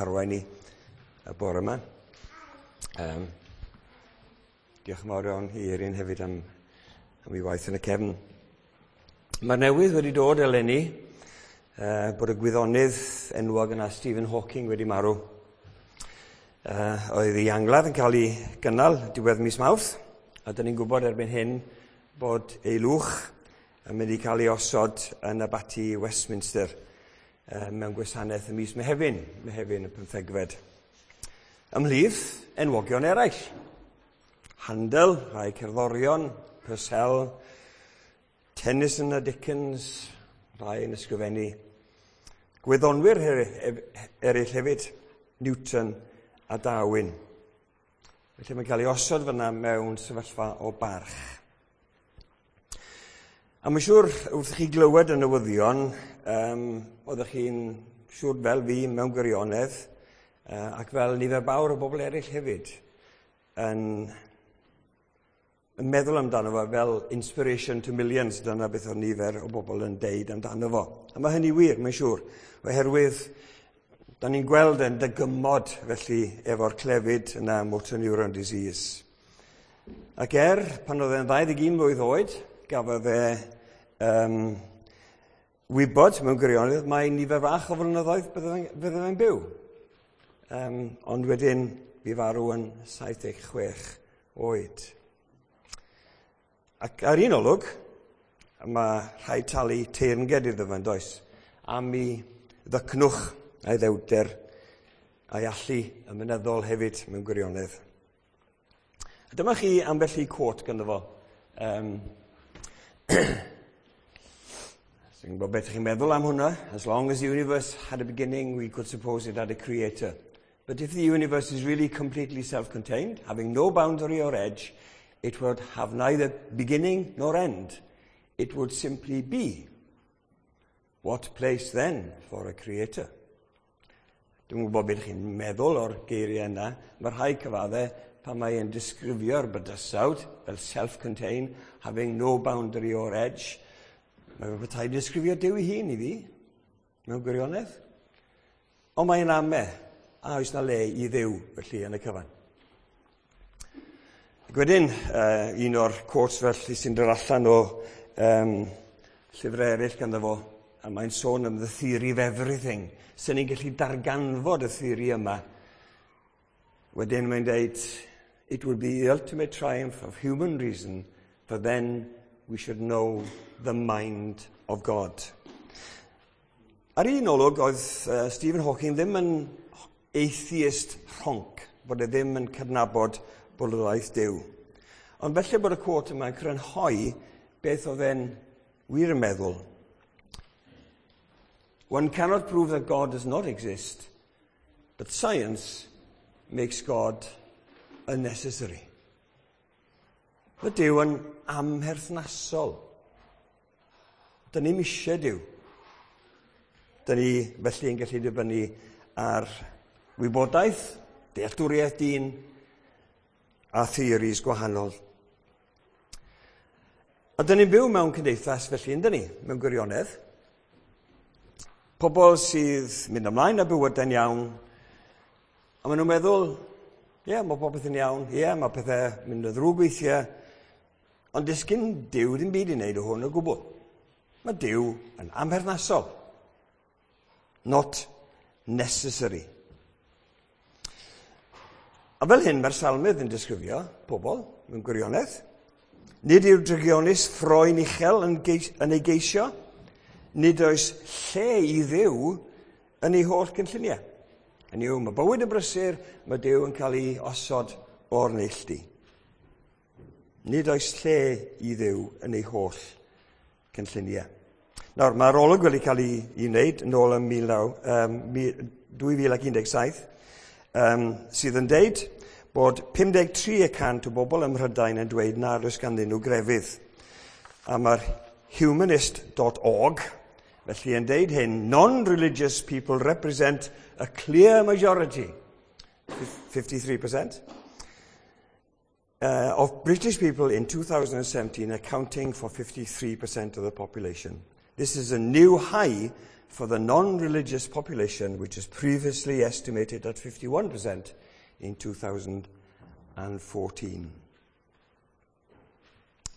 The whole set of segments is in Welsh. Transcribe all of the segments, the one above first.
harwain ni y bore yma. Diolch yn fawr iawn i Erin hefyd am ei waith yn y cefn. Mae'r newydd wedi dod eleni bod y gwyddonydd enwog yna Stephen Hawking wedi marw. Oedd ei angladd yn cael ei gynnal diwedd mis Mawrth, a dyn ni'n gwybod erbyn hyn bod ei lwch yn mynd i cael ei osod yn abaty Westminster mewn gwasanaeth y mis Mehefin, Mehefin y 15fed. Ymhlith enwogion eraill: Handel, rhai cerddorion, Purcell, Tennyson a Dickens, rhai yn ysgrifennu. Gwyddonwyr eraill hefyd, Newton a Darwin. Felly mae'n cael ei osod fyna mewn sefyllfa o barch. A mae'n siŵr, wrth i chi glywed y newyddion, oeddech chi'n siŵr fel fi mewn gwirionedd, ac fel nifer fawr o bobl eraill hefyd, yn meddwl amdano fo fel "inspiration to millions". Dyna beth oedd nifer o bobl yn deud amdano fo. A mae hynny wir, mae'n siŵr, oherwydd da ni'n gweld yn dygymod felly efo'r clefyd yna, motor neuron disease. Ac pan oedd e'n 21 mlwydd oed, gafodd e wybod mewn gwirionedd mae nifer fach o flynyddoedd bydde fe'n byw. Ond wedyn bu farw yn 76 oed. Ac ar un olwg, mae rhaid talu teyrnged iddo fe, does, am ei ddycnwch a'i ddewder a'i allu ymenyddol hefyd mewn gwirionedd. A dyma chi ambell i quote ganddo fo. Dwi'n gwybod beth chi'n meddwl am hwnna. "As long as the universe had a beginning, we could suppose it had a creator. But if the universe is really completely self-contained, having no boundary or edge, it would have neither beginning nor end. It would simply be. What place then for a creator?" Dwi'n gwybod beth chi'n meddwl o'r geiriau yna. Mae rhaid cyfadde pan mae'n disgrifio'r bydysawd fel self-contained, having no boundary or edge. Mae fe petai disgrifio Duw ei hun i fi, mewn gwirionedd. Ond mae'n ame, a oes na le i Dduw felly yn y cyfan? Ac wedyn, un o'r quotes felly sy'n dod allan o llyfrau eraill ganddo fo, a mae'n sôn am the theory of everything. Sy'n ni'n gallu darganfod y theori yma. Wedyn mae'n dweud, "It would be the ultimate triumph of human reason, for then we should know the mind of God." Ar un olwg, oedd Stephen Hawking ddim yn atheist rhonc, bod e ddim yn cydnabod bodolaeth Duw. Ond felly bod y quote yma'n crynhoi beth oedd e'n wir yn meddwl. "One cannot prove that God does not exist, but science makes God unnecessary." Mae Duw yn amherthnasol. Dyn ni'n eisiau Duw. Dyn ni felly yn gallu dibynnu ar wybodaeth, dealltwriaeth dyn a theories gwahanol. A dyn ni'n byw mewn cymdeithas felly, yn dyn ni, mewn gwirionedd. Pobl sydd mynd ymlaen â bywydau'n iawn, a maen nhw'n meddwl, ie, yeah, mae popeth yn iawn, ie, yeah, mae pethau mynd yn ddrwg weithiau, ond does gyn Duw ddim byd i wneud o hwn o gwbl. Mae Duw yn amherthnasol. Not necessary. A fel hyn mae'r salmydd yn disgrifio pobl mewn gwirionedd. "Nid yw'r drygionus ffroen uchel yn ei geisio. Nid oes lle i Dduw yn ei holl gynlluniau." Hynny yw, mae bywyd yn brysur, mae Duw yn cael ei osod o'r neilltu. Nid oes lle i Dduw yn ei holl cynlluniau. Nawr, mae'r arolwg wedi cael ei wneud yn ôl yn 2017, sydd yn deud bod 53% o bobl ym Mhrydain yn dweud nad oes ganddyn nhw grefydd. A mae'r humanist.org felly yn deud hyn: "Non-religious people represent a clear majority, 53%, of British people in 2017, accounting for 53% of the population. This is a new high for the non-religious population, which was previously estimated at 51% in 2014.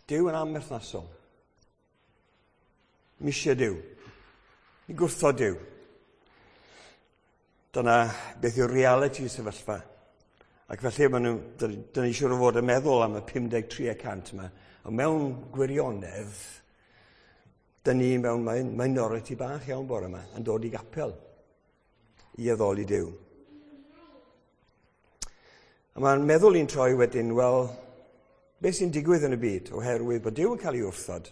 Duw yn amherthnasol. Misio Duw. Ni gwrthod Duw. Dyna beth yw'r reality sefyllfa. Ac felly maen nhw, dyn ni siŵr o fod yn meddwl am y 53% yma. Ond mewn gwirionedd, dyn ni mewn minority bach iawn bore yma yn dod i gapel i addoli Duw. A mae'n meddwl i'n troi wedyn, wel, beth sy'n digwydd yn y byd oherwydd bod Duw yn cael ei wrthod?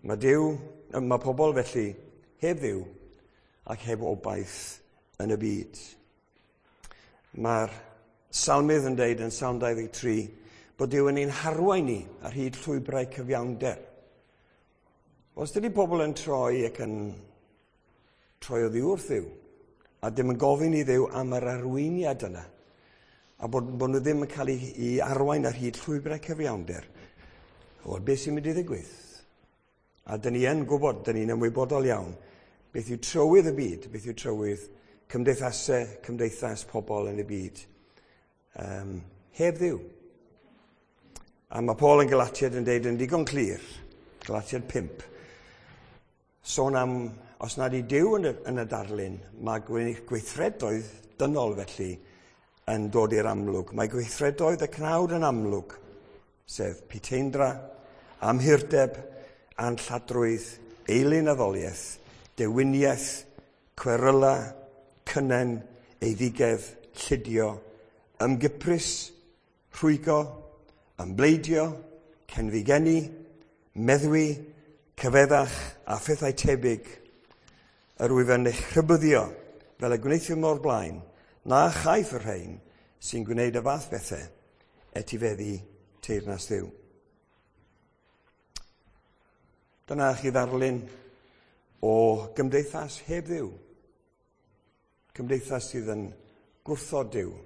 Mae Duw, mae pobl felly heb Dduw ac heb obaith yn y byd. Mae'r salmydd yn deud yn Salm 23 bod Duw yn ein harwain ni ar hyd llwybrau cyfiawnder. Os dydy pobl yn troi ac yn troi oddi wrth Dduw, a dim yn gofyn i Dduw am yr arweiniad yna, a bod nhw ddim yn cael ei arwain ar hyd llwybrau cyfiawnder, wel, beth sy'n mynd i ddigwydd? A dyn ni yn gwybod, dyn ni'n ymwybodol iawn, beth yw trywydd y byd, beth yw trywydd cymdeithasau, cymdeithas pobl yn y byd. Heb Dduw. A mae Paul yn Galatiad yn deud yn digon clir, Galatiad 5, sôn am, os nad i Duw yn y darlun, mae gweithredoedd dynol felly yn dod i'r amlwg. Mae gweithredoedd y cnawd yn amlwg, sef puteindra, amhurdeb, anlladrwydd, eilunaddoliaeth, dewiniaeth, cweryla, cynnen, eiddigedd, llidio, ymgyprys, rhwygo, ymbleidio, cenfigennu, meddwi, cyfeddach a phethau tebyg. Yr wyf yn eich rhybuddio fel y gwneuthum o'r blaen, na chaiff y rhain sy'n gwneud y fath bethau etifeddu teyrnas Dduw. Dyna chi ddarlun o gymdeithas heb Dduw. Cymdeithas sydd yn gwrthod Duw,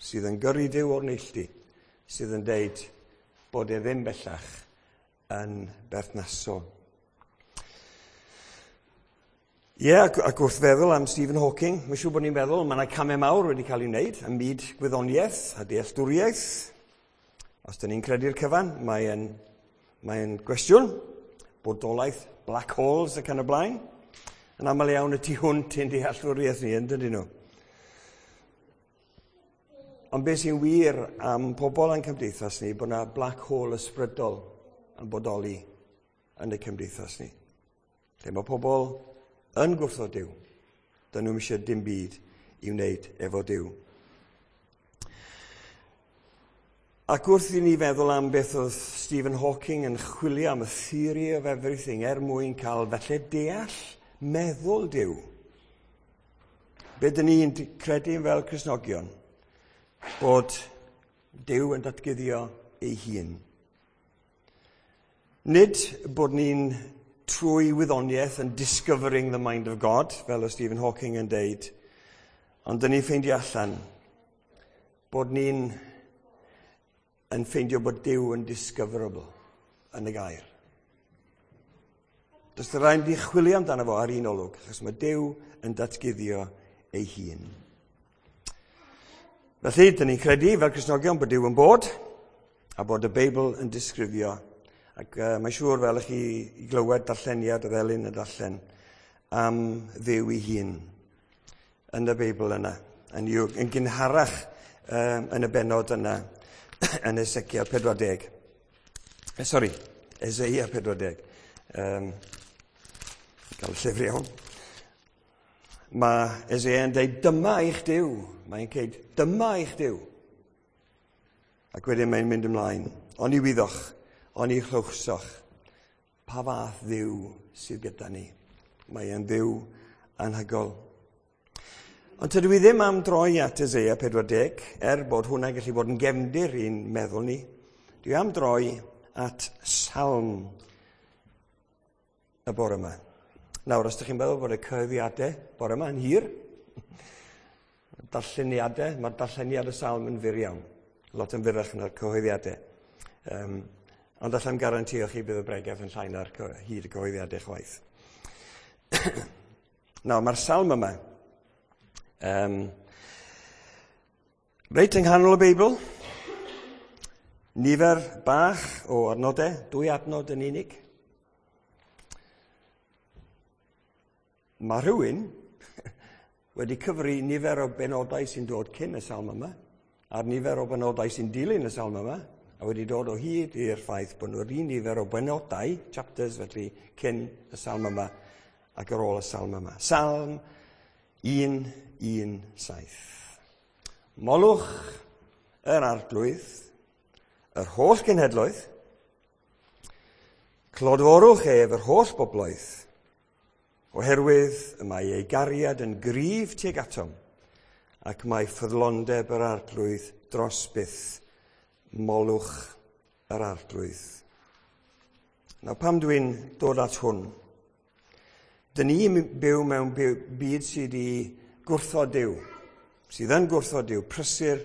sydd yn gyrru Duw o'r neilltu, sydd yn deud bod e ddim bellach yn berthnasol. Ie, yeah, ac wrth feddwl am Stephen Hawking, mae'n siŵr bod ni'n meddwl, mae yna camau mawr wedi cael ei wneud ym myd gwyddoniaeth a dealltwriaeth. Os dyn ni'n credu'r cyfan, mae'n gwestiwn, bodolaeth black holes ac yn y blaen. Yn aml iawn y tu hwnt i'n dealltwriaeth ni, yn dydyn nhw. Ond beth sy'n wir am pobl a'n cymdeithas ni, bod yna black hole ysbrydol yn bodoli yn y cymdeithas ni. Lle mae pobl yn gwrthod Duw. Dyn nhw'm eisiau dim byd i wneud efo Duw. Ac wrth i ni feddwl am beth oedd Stephen Hawking yn chwilio am y theory of everything er mwyn cael felly deall meddwl Duw. Be dyn ni'n credu fel Cristnogion? Bod Duw yn datguddio ei hun. Nid bod ni'n trwy wyddoniaeth yn discovering the mind of God, fel o Stephen Hawking yn deud, ond dyn ni'n ffeindio allan bod ni'n yn ffeindio bod Duw yn discoverable yn y gair. Does dim rhaid i chwilio amdano fo ar un olwg, achos mae Duw yn datguddio ei hun. Felly, dyn ni'n credu fel Cristnogion bod Duw yn bod, a bod y Beibl yn disgrifio. Ac mae'n siŵr fel ych chi i glywed darlleniad y ddelyn y darllen am Dduw ei hun yn y Beibl yna. Yn gynharach yn y benod yna yn Ezekiel 40. Sori, Eseia 40. Gael y llyfr iawn. Mae Eseia yn dweud, dyma eich Duw. Mae'n dweud, dyma eich Duw. Ac wedyn mae'n mynd ymlaen. Oni wyddoch, oni chlywsoch, pa fath Dduw sydd gyda ni. Mae e'n Dduw anhygoel. Ond tydw i ddim am droi at Eseia 40, er bod hwnna'n gallu bod yn gefndir i'n meddwl ni. Dwi am droi at Salm y bore yma. Nawr, os ydych chi'n meddwl bod y cyhoeddiadau bore yma yn hir, darlleniadau, mae'r darlleniad y Salm yn fyr iawn. Lot yn fyrrach na'r cyhoeddiadau. Ond allai'm garantio chi bydd y bregeth yn llai na'r hyd y cyhoeddiadau chwaith. Nawr, mae'r salm yma, reit yng nghanol y Beibl, nifer bach o adnodau, 2 adnod yn unig. Mae rhywun wedi cyfri nifer o benodau sy'n dod cyn y salm yma, a'r nifer o benodau sy'n dilyn y salm yma, a wedi dod o hyd i'r ffaith bod nhw'r un nifer o benodau, chapters felly, cyn y salm yma ac ar ôl y salm yma. Salm 117. Molwch yr Arglwydd, yr holl genhedloedd, clodforwch ef yr holl bobloedd, oherwydd y mae ei gariad yn gryf tuag atom, ac mae ffyddlondeb yr Arglwydd dros byth. Molwch yr Arglwydd. Nawr, pam dwi'n dod at hwn? Dyn ni'n byw mewn byd sydd wedi gwrthod Duw, sydd yn gwrthod Duw, prysur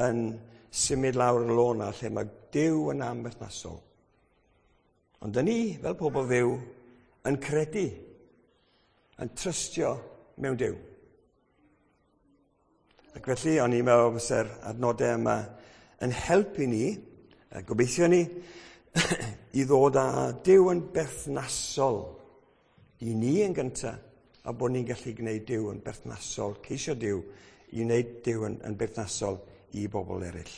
yn symud lawr y lôn lle mae Duw yn amberthnasol. Ond dyn ni, fel pobl Dduw, yn credu, yn trystio mewn Duw. Ac felly, o'n i'n meddwl fysa'r adnodau yma yn helpu ni, a gobeithio ni, i ddod â Duw yn berthnasol i ni yn gyntaf, a bod ni'n gallu gwneud Duw yn berthnasol, ceisio Duw i wneud Duw yn berthnasol i bobl eraill.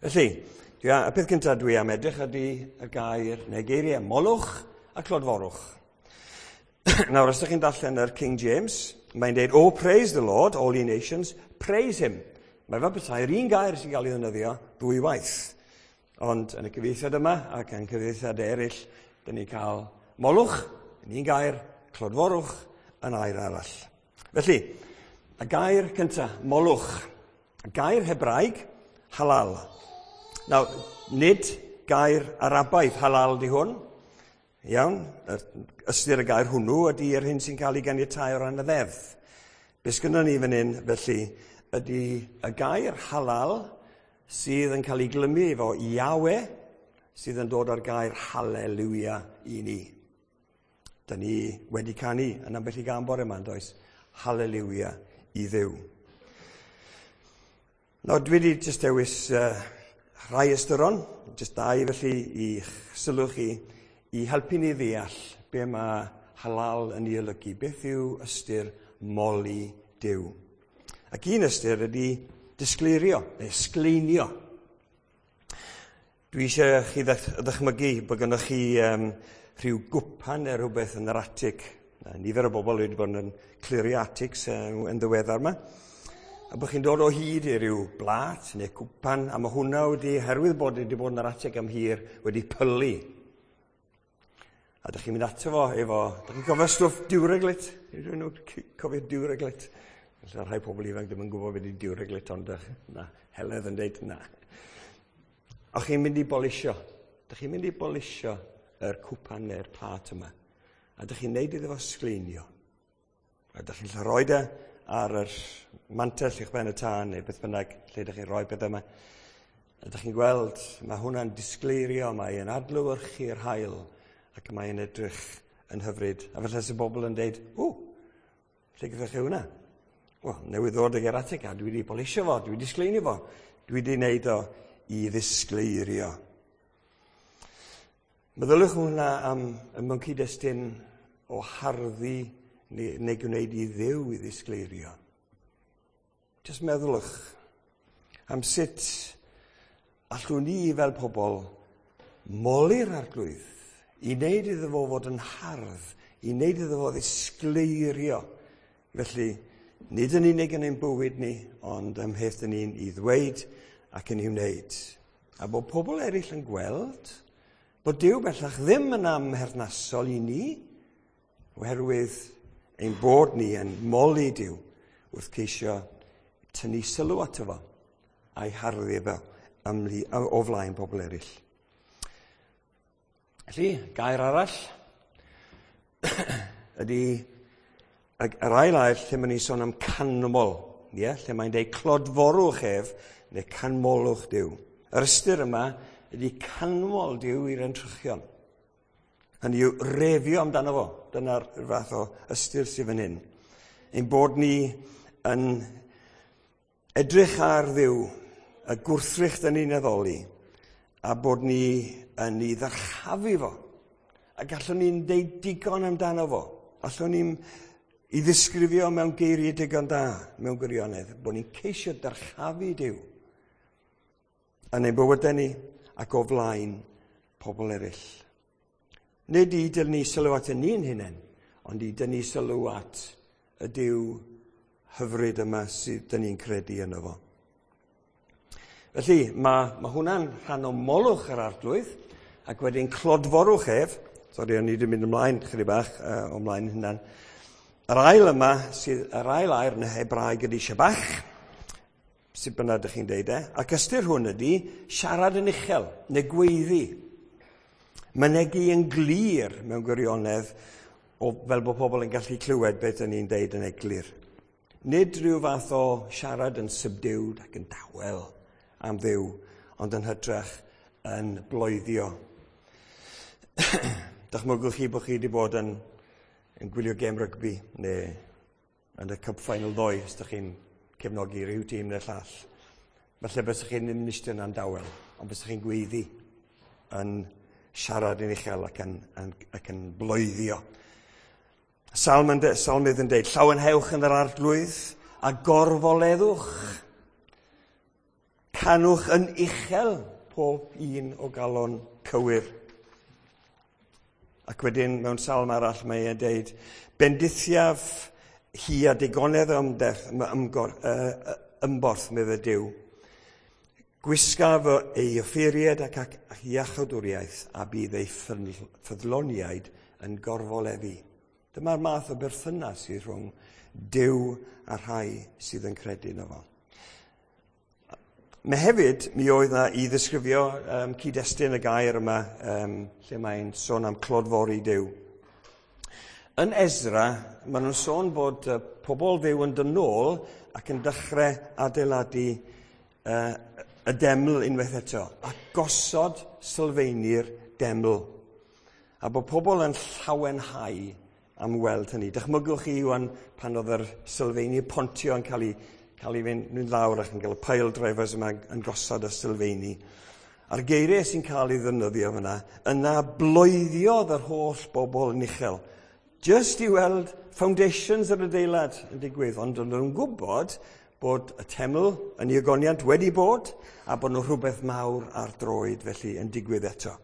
Felly, y peth cyntaf dwi am edrych ydy y gair neu geiriau molwch a clodforwch. Nawr, os ydych chi'n darllen yr King James, mae'n dweud, "Oh, praise the Lord, all ye nations, praise him." Mae fel petai'r un gair sy'n cael ei ddefnyddio ddwy waith. Ond yn y cyfieithiad yma ac yn cyfieithiad eraill, dyn ni'n cael molwch yn un gair, clodforwch yn air arall. Felly, y gair cyntaf, molwch. Y gair Hebraeg, halal. Nawr, nid gair Arabaidd halal di hwn. Iawn, ystyr y gair hwnnw ydy yr hyn sy'n cael ei ganiatáu o ran y ddeddf. Be sgynnon ni fan hyn, felly, ydy y gair halal sydd yn cael ei glymu efo Yahweh, sydd yn dod â'r gair hallelujah i ni. Dyn ni wedi canu yn ambell i gân bore yma, does? Hallelujah i Dduw. Nawr, dwi wedi jyst dewis rhai ystyron, jyst dau felly, i sylw chi, i helpu ni ddeall be mae halal yn ei olygu. Beth yw ystyr moli Duw? Ac un ystyr ydy disgleirio, neu sgleinio. Dwi eisiau chi ddychmygu bod gennych chi rhyw gwpan neu rhywbeth yn yr atig. Nifer o bobl wedi bod yn clirio atics yn ddiweddar yma. A bod chi'n dod o hyd i ryw blat neu cwpan, a mae hwnna wedi, herwydd bod wedi bod yn yr atig am hir, wedi pylu. A dych chi'n mynd ato fo efo, dych chi'n cofio stwff Duraglit? Ydyn nhw'n cofio Duraglit? Felly rhai pobl ifanc ddim yn gwybod beth ydy Duraglit, ond na, Heledd yn dweud na. A chi'n mynd i bolisio. Dych chi'n mynd i bolisio yr cwpan neu'r plat yma. A dych chi'n neud iddo fo sgleinio. A dych chi'n rhoi e ar yr mantell uwch ben y tân neu beth bynnag lle dych chi'n rhoi pethau yma. A dych chi'n gweld, mae hwnna'n disgleirio, mae'n adlewyrchu'r haul ac mae'n edrych yn hyfryd. A felly sy'n bobl yn deud, "O, lle gyda chi hwnna?" Wel, newydd ddod ag e'r atig a dwi wedi polisio fo, dwi wedi sgleinio fo, dwi wedi wneud o i ddisgleirio. Meddyliwch hwnna am mewn cyd-destun o harddu neu gwneud i Dduw i ddisgleirio. Jyst meddylwch am sut allwn ni fel pobl moli'r Arglwydd i wneud iddo fo fod yn hardd, i wneud iddo fo ddisgleirio. Felly, nid yn unig yn ein bywyd ni, ond ym mheth dyn ni'n i ddweud ac yn ei wneud. A bod pobl eraill yn gweld bod Duw bellach ddim yn amherthnasol i ni, oherwydd ein bod ni yn moli Duw wrth ceisio tynnu sylw ato fo a'i harddu fo o flaen pobl eraill. Felly, gair arall ydy yr ail air lle mae'n ni'n sôn am canmol, ie? Lle mae'n dweud clodforwch ef neu canmolwch Duw. Yr ystyr yma ydy canmol Duw i'r entrychion. Hynny yw refio amdano fo. Dyna'r fath o ystyr sydd fan hyn. Ein bod ni yn edrych ar Dduw, y gwrthrych dyn ni'n addoli, a bod ni yn ei ddyrchafu fo. A gallwn ni'n deud digon amdano fo. Allwn ni'n i ddisgrifio mewn geiriau digon da, mewn gwirionedd, bod ni'n ceisio dyrchafu Duw yn ein bywydau ni ac o flaen pobl eraill. Nid i dynnu sylw at ni'n hunain, ond i dynnu sylw at y Duw hyfryd yma sydd dyn ni'n credu yno fo. Felly, mae hwnna'n rhan o molwch yr Arglwydd, ac wedyn clodforwch ef. Sori, o'n i wedi mynd ymlaen chydig bach o mlaen hynna'n. Yr ail yma, sydd, yr ail air yn y Hebraeg ydy shabach, sut bynnag ydych chi'n deud e, ac ystyr hwn ydy siarad yn uchel, neu gweiddi. Mynegi yn glir mewn gwirionedd, o, fel bod pobl yn gallu clywed beth ydyn ni'n deud yn eglur. Nid rhyw fath o siarad yn subdued ac yn dawel am Dduw, ond yn hytrach yn bloeddio. Dychmygwch chi bod chi wedi bod yn gwylio gêm rygbi neu yn y cup final ddoe, os ydych chi'n cefnogi rhyw tîm neu'r llall. Falle bysych chi'n ddim yn eistedd yna'n dawel, ond bysych chi'n gweiddi yn siarad yn uchel ac yn bloeddio. Salmydd yn deud, llawenhewch yn yr Arglwydd a gorfoleddwch. Canwch yn uchel pob un o galon cywir. Ac wedyn mewn salm arall mae e'n deud, bendithiaf hi a digonedd ymborth, medde Duw. Gwisgaf ei offeiriad ac iachawdwriaeth a bydd ei ffyddloniaid yn gorfoleddu. Dyma'r math o berthynas sydd rhwng Duw a rhai sydd yn credu yno fo. Mae hefyd, mi oedd na i ddisgrifio cyd-destun y gair yma, lle mae'n sôn am clodfori Duw. Yn Esra, maen nhw'n sôn bod pobl Dduw yn dod nôl ac yn dechrau adeiladu y deml unwaith eto, a gosod sylfeini'r deml. A bod pobl yn llawenhau am weld hynny. Dychmygwch chi wan pan oedd yr sylfeini pontio yn cael ei fynd lawr ac yn cael y pile drivers yma yn gosod y sylfeini. A'r geiriau sy'n cael ei ddefnyddio fyna, yna bloeddiodd yr holl bobl yn uchel. Just i weld foundations yr adeilad yn digwydd, ond o'n nhw'n gwybod bod y teml yn ei ogoniant wedi bod a bod nhw rhywbeth mawr ar droed felly yn digwydd eto.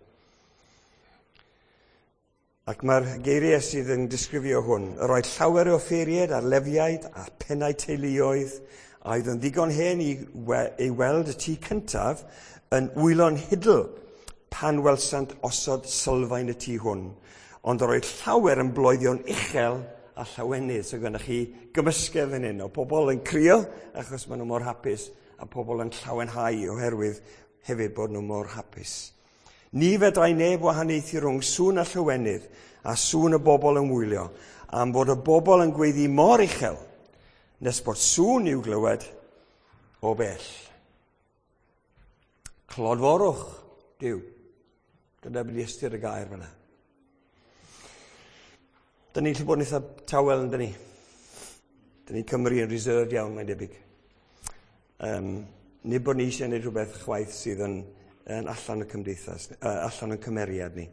Ac mae'r geiriau sydd yn disgrifio hwn, yr oedd llawer o offeiriaid a'r lefiaid a'r pennau teuluoedd a oedd yn ddigon hen i weld y tŷ cyntaf yn wylo'n hidl pan welsant osod sylfaen y tŷ hwn. Ond yr oedd llawer yn bloeddio'n uchel a llawenydd. So gyda chi gymysgedd fan hyn o pobl yn crio achos maen nhw mor hapus a pobl yn llawenhau oherwydd hefyd bod nhw mor hapus. Ni fedrai neb wahaniaethu rhwng sŵn a llawenydd a sŵn y bobl yn wylio, am fod y bobl yn gweiddi mor uchel nes bod sŵn i'w glywed o bell. Clodforwch Duw. Dyna beth ystyr y gair fyna. Dyn ni'n gallu bod yn eitha tawel, yn dyn ni? Dyn ni'n Cymru yn reserved iawn, mae'n debyg. Nid bod ni eisiau gwneud rhywbeth chwaith sydd yn allan y cymdeithas, allan o'n cymeriad ni.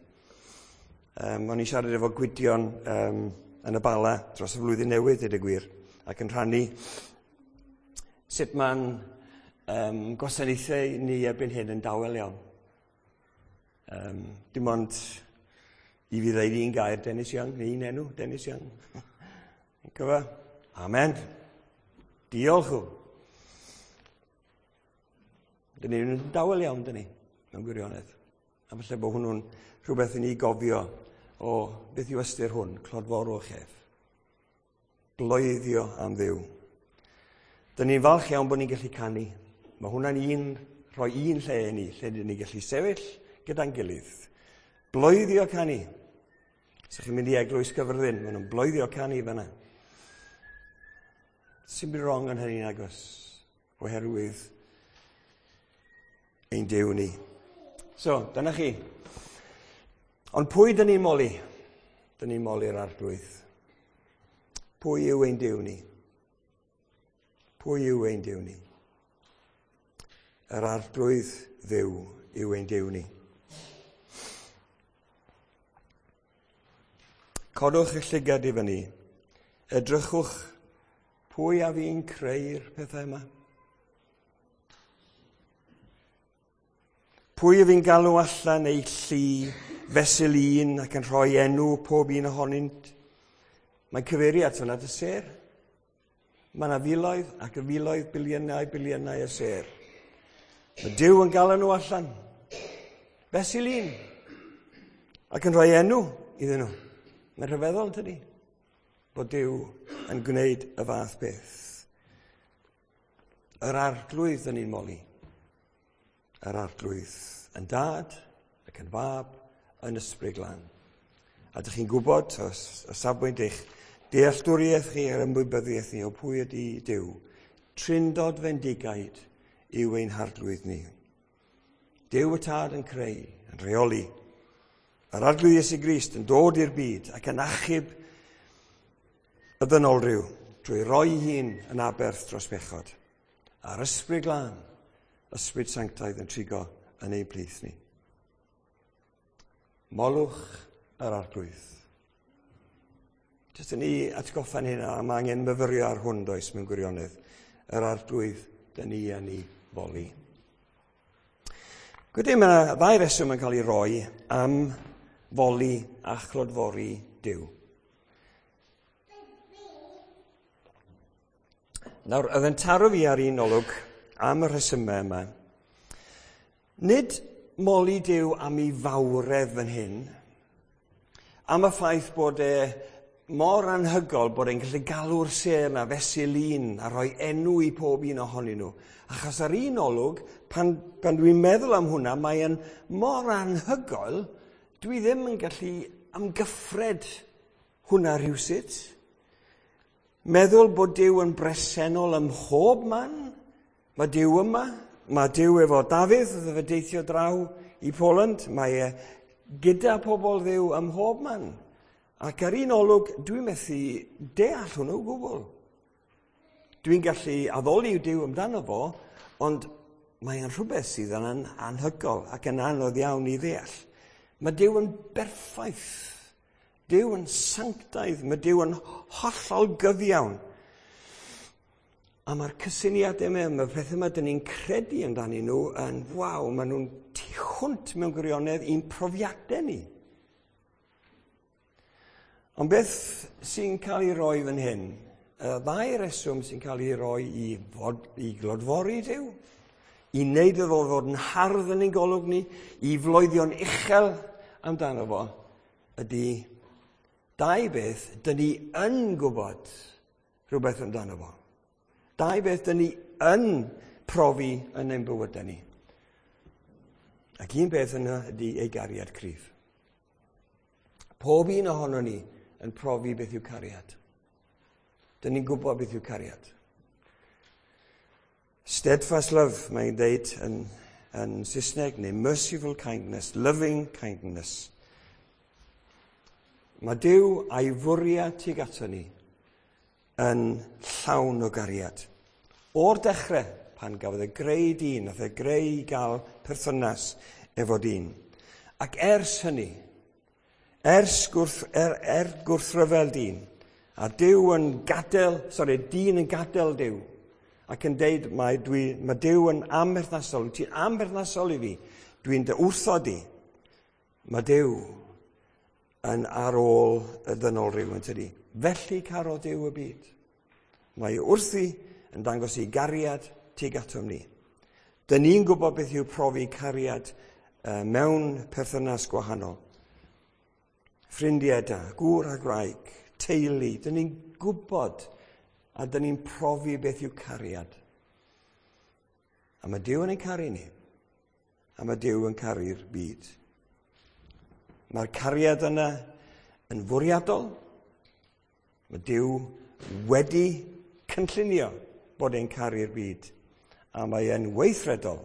O'n i'n siarad efo Gwydion yn y Bala dros y flwyddyn newydd, dweud y gwir, ac yn rhannu sut mae'n gwasanaethau ni erbyn hyn yn dawel iawn. Dim ond i fi ddeud un gair, Dennis Young, neu un enw, Dennis Young. Cyfa? Amen. Diolch. Dyn ni'n dawel iawn, dyn ni, mewn gwirionedd. A falle bod hwnnw'n rhywbeth i ni gofio o beth yw ystyr hwn, clodforwch ef. Bloeddio am Dduw. Dyn ni'n falch iawn bod ni'n gallu canu. Mae hwnna'n rhoi un lle i ni, lle dyn ni'n gallu sefyll gyda'n gilydd. Bloeddio canu. Os ydych chi'n mynd i Eglwys Gyfyrddin, maen nhw'n bloeddio canu fan'na. Sy'n byd wrong yn hynny'n agos, oherwydd ein Duw ni. So, dyna chi. Ond pwy dyn ni'n moli? Dyn ni'n moli'r Arglwydd. Pwy yw ein Duw ni? Pwy yw ein Duw ni? Yr Arglwydd Dduw yw ein Duw ni. Codwch eich llygad i fyny. Edrychwch pwy a fi'n creu'r pethau yma. Pwy y fi'n galw allan eu llu fesul un ac yn rhoi enw pob un ohonynt? Mae'n cyfeirio at hwnna at y sêr. Mae yna filoedd ac y filoedd, biliynau, biliynau y sêr. Mae Duw yn galw nhw allan. Fesul un. Ac yn rhoi enw iddyn nhw. Mae'n rhyfeddol, tydi? Bod Duw yn gwneud y fath beth. Yr Arglwydd yn ni'n moli. Yr Arglwydd yn Dad ac yn Fab yn Ysbryd Glân. A dych chi'n gwybod, o safbwynt eich dealltwriaeth chi a'r ymwybyddiaeth ni o pwy ydy Duw, trindod fendigaid yw ein Harglwydd ni. Duw y Tad yn creu, yn rheoli. Yr Arglwydd Iesu Grist yn dod i'r byd ac yn achub y ddynolryw drwy roi hun yn aberth dros bechod. A'r Ysbryd Glân, Ysbryd Sanctaidd yn trigo yn ein plith ni. Molwch yr Arglwydd. Jyst yn ni atgoffa'n hyn, a mae angen myfyrio ar hwn does mewn gwirionedd. Yr Arglwydd, dyn ni yn ei foli. Gwydyn, mae yna ddau reswm yn cael ei roi am foli a chlodfori Duw. Nawr, oedd yn taro fi ar un olwg am y rhesymau yma. Nid moli Duw am ei fawredd fan hyn, am y ffaith bod e mor anhygol bod e'n gallu galw'r sêr na fesul un a rhoi enw i pob un ohonyn nhw. Achos ar un olwg, pan dwi'n meddwl am hwnna, mae'n mor anhygoel, dwi ddim yn gallu amgyffred hwnna rhywsut. Meddwl bod Duw yn bresennol ym mhob man. Mae Duw yma, mae Duw efo Dafydd, oedd fe deithio draw i Poland, mae e gyda pobl Dduw ym mhob man. Ac ar un olwg, dwi'n methu deall hwnnw o gwbl. Dwi'n gallu addoli Duw amdano fo, ond mae'n rhywbeth sydd yn anhygoel ac yn anodd iawn i ddeall. Mae Duw yn berffaith. Duw yn sanctaidd, mae Duw yn hollol gyfiawn. A mae'r cysyniadau yma, mae'r pethau yma dyn ni'n credu amdanyn nhw yn, waw, maen nhw'n tu hwnt mewn gwirionedd i'n profiadau ni. Ond beth sy'n cael ei roi fan hyn? Y ddau reswm sy'n cael ei roi i glodfori Duw, i wneud iddo fo fod yn hardd yn ein golwg ni, i floeddio'n uchel amdano fo, ydy dau beth dyn ni yn gwybod rhywbeth amdano fo. Dau beth dyn ni yn profi yn ein bywydau ni. Ac un peth yna ydy ei gariad cryf. Pob un ohono ni yn profi beth yw cariad. Dyn ni'n gwybod beth yw cariad. Steadfast love, mae'n deud yn Saesneg, neu merciful kindness, loving kindness. Mae Duw a'i fwriad tuag ato ni yn llawn o gariad. O'r dechrau, pan gafodd e greu dyn, nath e greu i gael perthynas efo dyn. Ac ers hynny, ers gwrthryfel dyn, a Duw yn gadael, dyn yn gadael Duw, ac yn deud, mae Duw yn amherthnasol, wyt ti'n amherthnasol i fi, dwi'n dy wrthod i. Mae Duw yn ar ôl y ddynol rhyw yn tydi. Felly carodd Duw y byd. Mae wrthi yn dangos ei gariad tuag atom ni. Dyn ni'n gwybod beth yw profi cariad mewn perthynas gwahanol. Ffrindiau da, gŵr a gwraig, teulu, dyn ni'n gwybod a dyn ni'n profi beth yw cariad. A mae Duw yn ein caru ni. A mae Duw yn caru'r byd. Mae'r cariad yna yn fwriadol. Mae Duw wedi cynllunio bod e'n caru'r byd. A mae e'n weithredol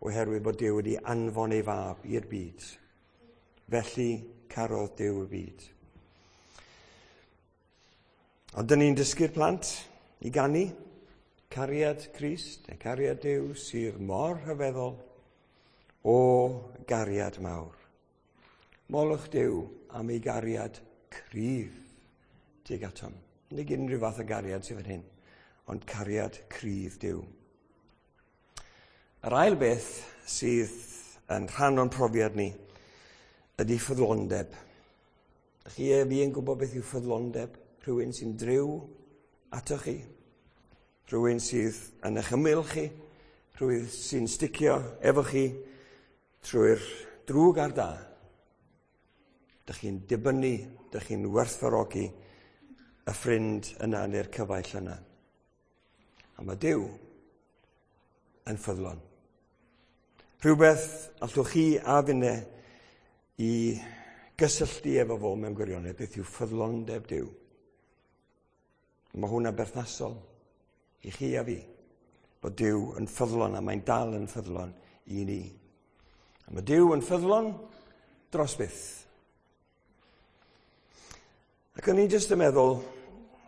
oherwydd bod Duw wedi anfon ei fab i'r byd. Felly carodd Duw y byd. Ond dyn ni'n dysgu'r plant i ganu cariad Crist neu cariad Duw sydd mor rhyfeddol o gariad mawr. Molwch Duw am ei gariad cryf tuag atom. Nid unrhyw fath o gariad sydd fan hyn, ond cariad cryf Duw. Yr ail beth sydd yn rhan o'n profiad ni ydy ffyddlondeb. Ydych chi a fi yn gwybod beth yw ffyddlondeb? Rhywun sy'n driw atoch chi, rhywun sydd yn eich ymyl chi, rhywun sy'n sticio efo chi trwy'r drwg a'r da. Dych chi'n dibynnu, dych chi'n werthfawrogi y ffrind yna neu'r cyfaill yna. A mae Duw yn ffyddlon. Rhywbeth allwch chi a finne i gysylltu efo fo mewn gwirionedd, beth yw ffyddlondeb Duw. Mae hwnna'n berthnasol i chi a fi, bod Duw yn ffyddlon a mae'n dal yn ffyddlon i ni. A mae Duw yn ffyddlon dros byth. Ac o'n i'n jyst yn meddwl,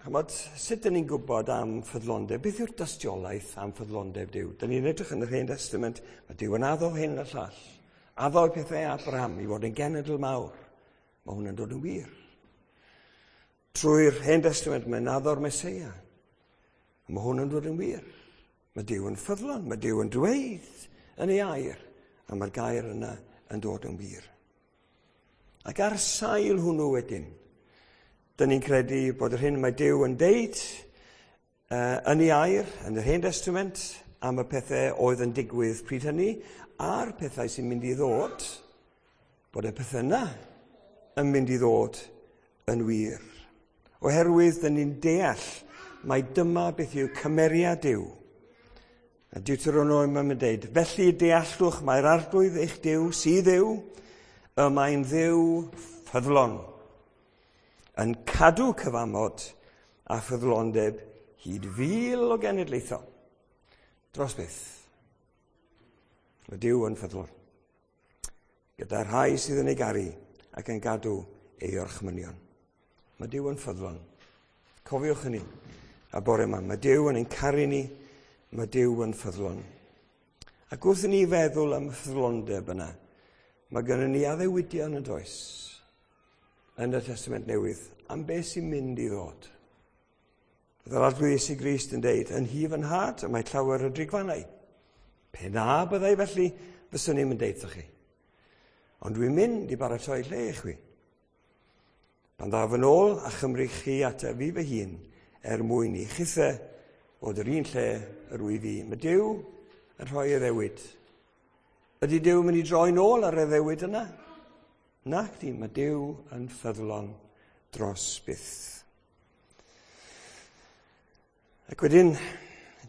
chymod, sut dyn ni'n gwybod am ffyddlondeb? Beth yw'r dystiolaeth am ffyddlondeb Duw? Dyn ni'n edrych yn yr Hen Testament, mae Duw yn addo hyn a llall. Addo pethau Abraham i fod yn genedl mawr. Mae hwnna'n dod yn wir. Trwy'r Hen Testament mae'n addo'r Meseia. Mae hwn yn dod yn wir. Mae Duw yn ffyddlon, mae Duw yn dweud yn ei air, a mae'r gair yna yn dod yn wir. Ac ar sail hwnnw wedyn, dyn ni'n credu bod yr hyn mae Duw yn deud yn ei air, yn yr Hen Testament, am y pethau oedd yn digwydd pryd hynny, a'r pethau sy'n mynd i ddod, bod y pethau yna yn mynd i ddod yn wir. Oherwydd dyn ni'n deall mai dyma beth yw cymeriad Duw. A Deuteronomium yn dweud, felly deallwch mae'r Arglwydd eich Duw sydd yw, y mae'n Dduw ffyddlon, yn cadw cyfamod a ffyddlondeb hyd fil o genedlaethau. Dros byth. Mae Duw yn ffyddlon. Gyda rhai sydd yn ei garu ac yn gadw ei orchmynion. Mae Duw yn ffyddlon. Cofiwch hynny. A bore yma, mae Duw yn ein caru ni, mae Duw yn ffyddlon. Ac wrth i ni feddwl am y ffyddlondeb yna, mae gennym ni addewidion yn does yn y Testament Newydd am beth sy'n mynd i ddod. Bydd Arglwydd Iesu Grist yn deud, yn hi fy nhad, y mae llawer o drigfannau. Pe na byddai felly, fyswn i'n deud wrthoch chi. Ond dwi'n mynd i baratoi lle i chwi. Pan ddaf yn ôl a chymryd chi ataf fi fy hun, er mwyn i chithe fod yr un lle yr wyf fi. Mae Duw yn rhoi addewid. Ydy Duw yn mynd i droi nôl ar addewid yna? Nac di, mae Duw yn ffyddlon dros byth. Ac wedyn,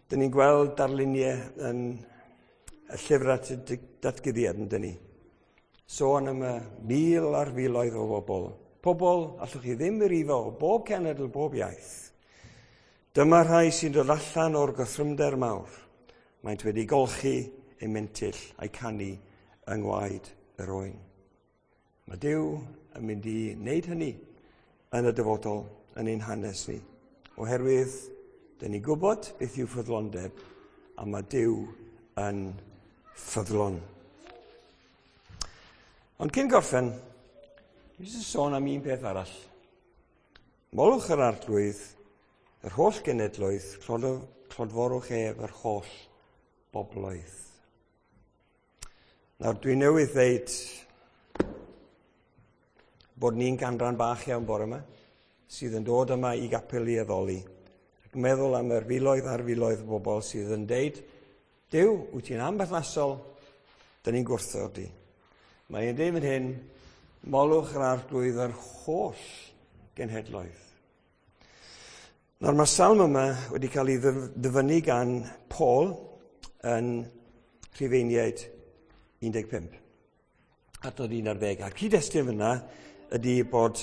dyn ni'n gweld darluniau yn y llyfr at y datguddiad yn dyn ni. Sôn am y mil ar filoedd o bobl. Pobl allwch chi ddim i rifo o bob cenedl, bob iaith. Dyma rhai sy'n dod allan o'r gorthrymder mawr. Maent wedi golchi eu mentyll a'i canu yng ngwaed yr oen. Mae Duw yn mynd i wneud hynny yn y dyfodol yn ein hanes ni. Oherwydd, dyn ni'n gwybod beth yw ffyddlondeb, a mae Duw yn ffyddlon. Ond cyn gorffen, dwi eisiau sôn am un peth arall. Molwch yr Arglwydd, yr holl genedloedd, clodforwch ef yr holl bobloedd. Nawr, dwi newydd ddeud bod ni'n ganran bach iawn bore yma, sydd yn dod yma i gapel i addoli. Ac meddwl am yr filoedd a'r filoedd o bobl sydd yn deud, Duw, wyt ti'n amberthnasol, dyn ni'n gwrthod di. Mae e'n deud fan hyn, molwch yr Arglwydd yr holl genhedloedd. Nawr mae'r salm yma wedi cael ei ddyfynnu gan Paul yn Rhufeiniaid 15. Adnod 11. A'r cyd-destun fyna ydy bod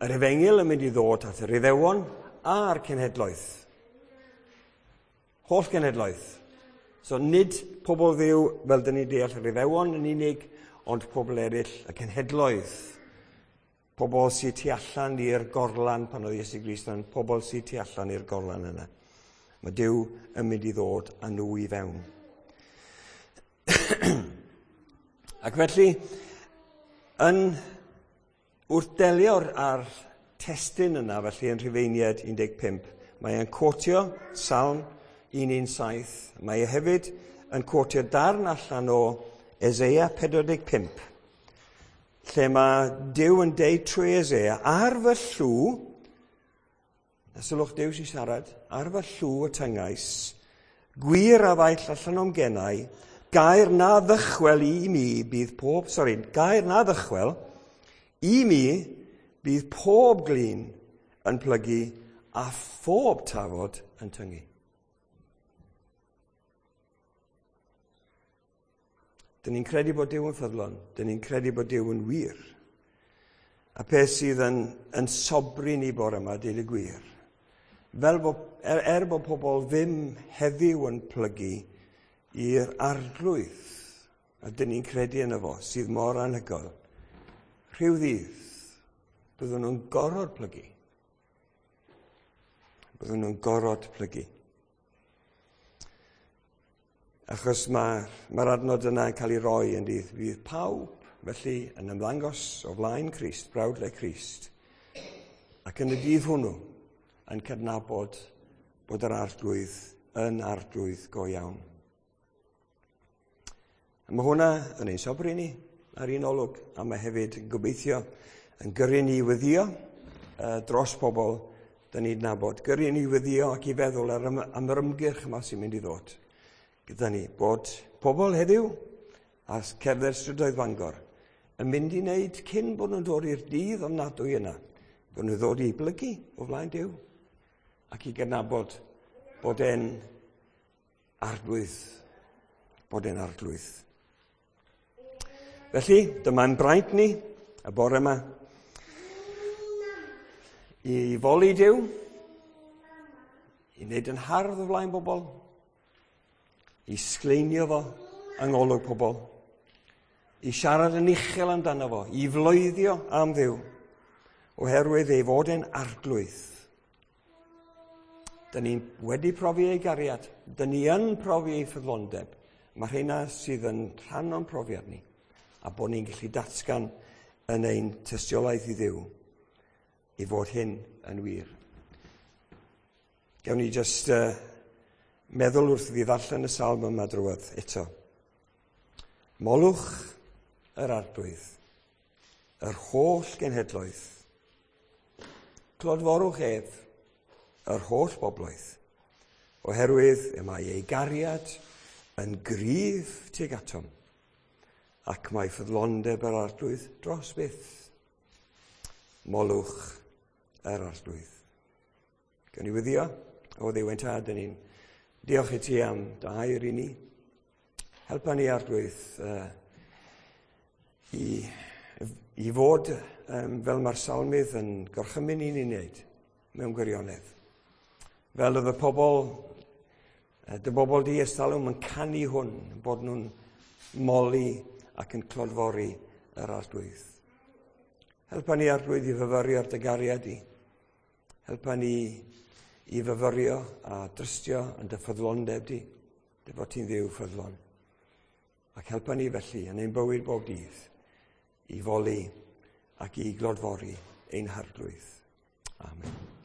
yr efengyl yn mynd i ddod at yr Iddewon a'r cenhedloedd. Holl genhedloedd. So nid pobl Dduw fel dyn ni'n deall yr Iddewon yn unig, ond pobl eraill, y cenhedloedd, pobl sydd tu allan i'r gorlan pan oedd Iesu Grist yn pobl sydd tu allan i'r gorlan yna. Mae Duw yn mynd i ddod â nhw i fewn. Ac felly, yn wrth delio â'r testun yna, felly yn Rhufeiniaid 15, mae e'n quotio Salm 117. Mae e hefyd yn quotio darn allan o Eseia 45, lle mae Duw yn deud trwy Eseia, ar fy llw, a sylwch Duw sy'n siarad, ar fy llw y tyngais, gwir a ddaeth allan o'm genau, gair na ddychwel i mi bydd pob, sori, gair na ddychwel i mi bydd pob glin yn plygu a phob tafod yn tyngu. Dyn ni'n credu bod Duw yn ffyddlon. Dyn ni'n credu bod Duw yn wir. A peth sydd yn sobri ni bore yma, deud y gwir. Fel bod, er bod pobl ddim heddiw yn plygu i'r arglwydd, a dyn ni'n credu yno fo, sydd mor anhygoel, rhyw ddydd, byddwn nhw'n gorfod plygu. Byddwn nhw'n gorfod plygu. Achos mae'r adnod yna yn cael ei roi yn dydd. Bydd pawb, felly, yn ymddangos o flaen Crist, brawdle Crist. Ac yn y dydd hwnnw, yn cydnabod bod yr arglwydd yn arglwydd go iawn. A mae hwnna yn ein sobri ni ar un olwg, a mae hefyd yn gobeithio yn gyrru ni i weddïo dros pobl dyn ni'n nabod. Gyrru ni i weddïo ac i feddwl am yr ymgyrch yma sy'n mynd i ddod gyda ni, bod pobl heddiw a cerdded strydoedd Bangor yn mynd i wneud cyn bod nhw'n dod i'r dydd ofnadwy yna, bod nhw'n ddod i blygu o flaen Duw ac i gydnabod bod e'n arglwydd, bod e'n arglwydd. Felly, dyma'n braint ni y bore yma i foli Duw, i wneud yn hardd o flaen bobl, i sgleinio fo yng ngolwg pobl, i siarad yn uchel amdano fo, i floeddio am Dduw, oherwydd ei fod e'n arglwydd. Dyn ni wedi profi ei gariad, dyn ni yn profi ei ffyddlondeb. Mae rheina sydd yn rhan o'n profiad ni, a bod ni'n gallu datgan yn ein tystiolaeth i Dduw i fod hyn yn wir. Gawn ni jyst meddwl wrth fi ddarllen y salm yma drwodd eto. Molwch yr arglwydd, yr holl genhedloedd. Clodforwch ef, yr holl bobloedd, oherwydd y mae ei gariad yn gryf tuag atom, ac mae ffyddlondeb yr arglwydd dros byth. Molwch yr arglwydd. Gawn ni weddïo, o Dduw ein tad, dyn ni'n diolch i ti am dy air i ni. Helpa ni arglwydd i fod fel mae'r salmydd yn gorchymyn i ni wneud mewn gwirionedd. Fel oedd y pobl, dy bobl di ers talwm yn canu hwn, bod nhw'n moli ac yn clodfori yr arglwydd. Helpa ni arglwydd i fyfyrio ar dy gariad di. Helpa ni i fyfyrio a drystio yn dy ffyddlondeb di, dy fod ti'n Dduw ffyddlon. Ac helpa ni felly yn ein bywyd bob dydd i foli ac i glodfori ein harglwydd. Amen.